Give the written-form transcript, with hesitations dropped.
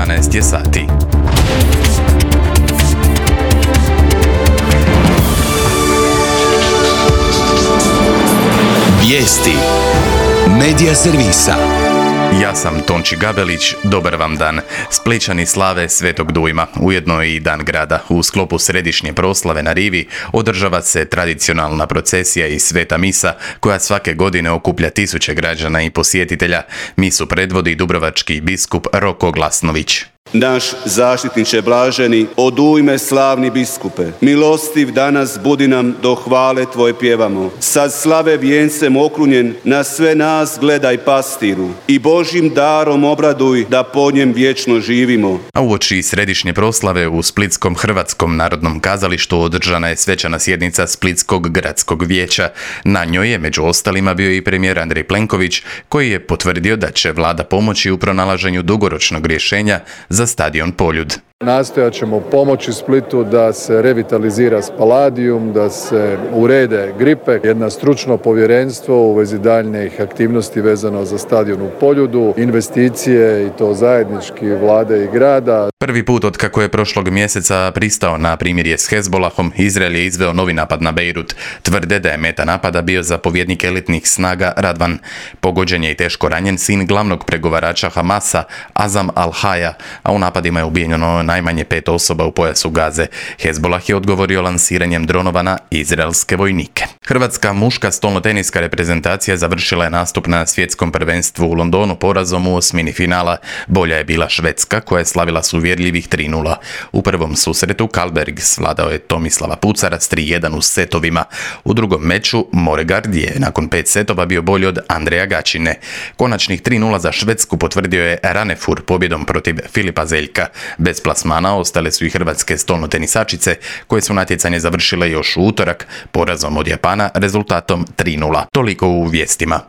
11 je sati. Vijesti Medija servisa. Ja sam Tonči Gabelić, dobar vam dan. Splićani slave Svetog Dujma, ujedno i Dan grada. U sklopu središnje proslave na rivi održava se tradicionalna procesija i sveta misa koja svake godine okuplja tisuće građana i posjetitelja. Misu predvodi dubrovački biskup Roko Glasnović. Naš zaštitniče blaženi, od ujme slavni biskupe, milostiv danas budi nam do hvale Tvoje pjevamo. Sad slave vijencem okrunjen, na sve nas gledaj pastiru i Božjim darom obraduj da po njem vječno živimo. A uoči središnje proslave u Splitskom Hrvatskom narodnom kazalištu održana je svečana sjednica Splitskog gradskog vijeća. Na njoj je među ostalima bio i premijer Andrej Plenković, koji je potvrdio da će vlada pomoći u pronalaženju dugoročnog rješenja za stadion Poljud. Nastojat ćemo pomoći Splitu da se revitalizira Spaladium, da se urede gripe, jedno stručno povjerenstvo u vezi daljnjih aktivnosti vezano za stadion u Poljudu, investicije i to zajednički vlade i grada. Prvi put od kako je prošlog mjeseca pristao na primirje s Hezbolahom, Izrael je izveo novi napad na Bejrut. Tvrde da je meta napada bio zapovjednik elitnih snaga Radvan. Pogođen je i teško ranjen sin glavnog pregovarača Hamasa, Azam al-Haja, a u napadima je ubijeno najmanje 5 osoba u pojasu Gaze. Hezbolah je odgovorio lansiranjem dronova na izraelske vojnike. Hrvatska muška stolnoteniska reprezentacija završila je nastup na svjetskom prvenstvu u Londonu porazom u osmini finala. Bolja je bila Švedska koja je slavila s uvjerljivih 3:0. U prvom susretu Karlberg svladao je Tomislava Pucara s 3:1 u setovima. U drugom meču Moregard je nakon 5 setova bio bolji od Andreja Gačine. Konačnih 3:0 za Švedsku potvrdio je Ranefur pobjedom protiv Filipa Zeljka. Bez plasmana ostale su i hrvatske stolnotenisačice koje su natjecanje završile još u utorak porazom od Japana rezultatom 3:0. Toliko u vijestima.